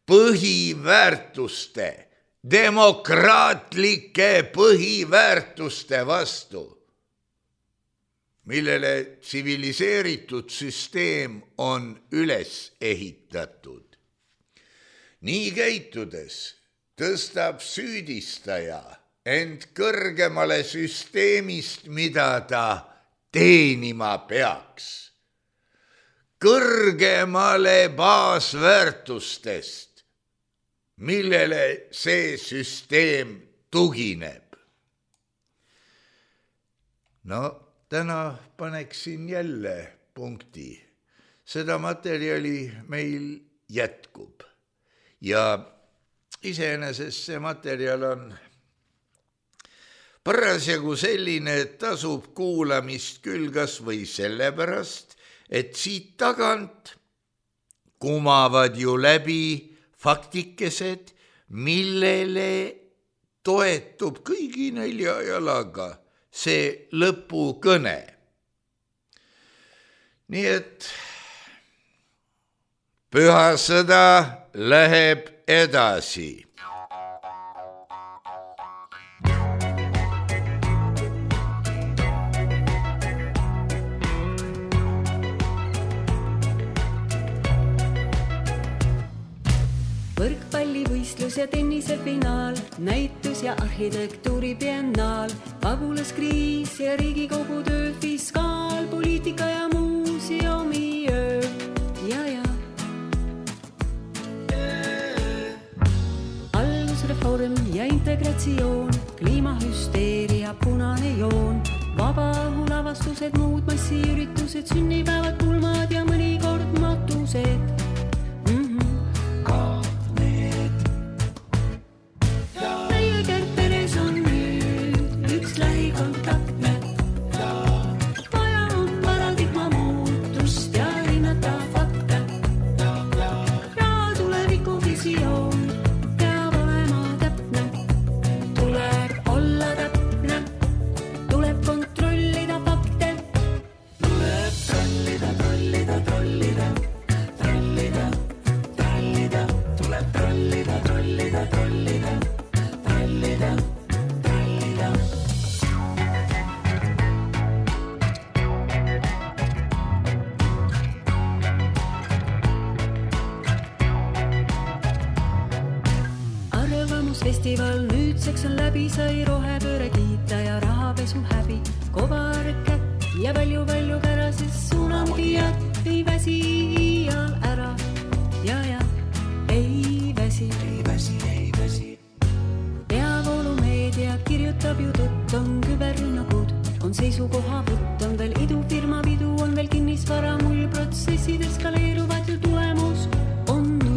põhiväärtuste, demokraatlike põhiväärtuste vastu, millele tsiviliseeritud süsteem on üles ehitatud. Nii käitudes tõstab süüdistaja end kõrgemale süsteemist, mida ta teenima peaks, kõrgemale baasväärtustest, millele see süsteem tugineb. No, täna paneksin jälle punkti. Seda materjali meil jätkub ja iseenesest see materjal on parasjagu selline, et tasub kuulamist küll kas või sellepärast, et siit tagant kumavad ju läbi faktikesed, millele toetub kõigi 4 jalaga see lõpukõne. Nii et püha sõda läheb edasi. Võrkpallivõistlus ja tennisefinaal, näitus ja arhitektuuribiennaal, pagulaskriis ja Riigikogu töö, fiskaal, poliitika ja muuseumi öö. Ja. Allusreform ja integratsioon, kliimahüsteeria, punane joon, vabaõhulavastused, muud massiüritused, sünnipäevad, pulmad ja mõnikord matused. Festival nüüdseks on läbi, sai rohepööre kiita ja rahapesu häbi. Kovar kätt ja palju kära, sest tsunamijad ei väsi iial ära. Ja, ei väsi. Peavoolumeedia kirjutab ju tõtt, on küberrünnakud, on seisukohavõtt, on veel idufirma pidu, on veel kinnisvara mull, protsessid eskaleeruvad ju tulemus on null.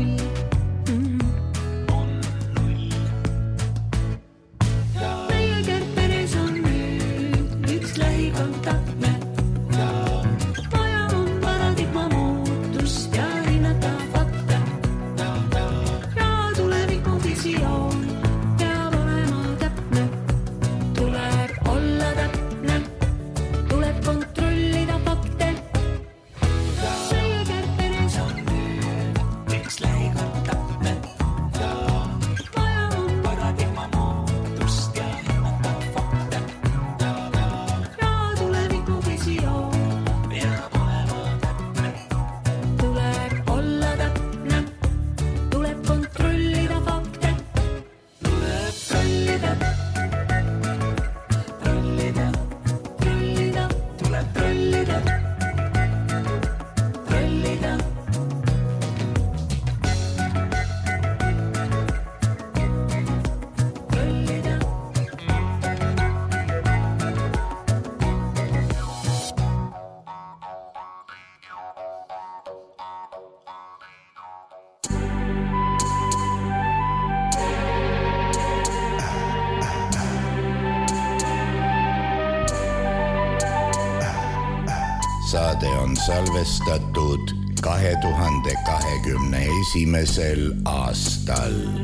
Saade on salvestatud 2021. aastal.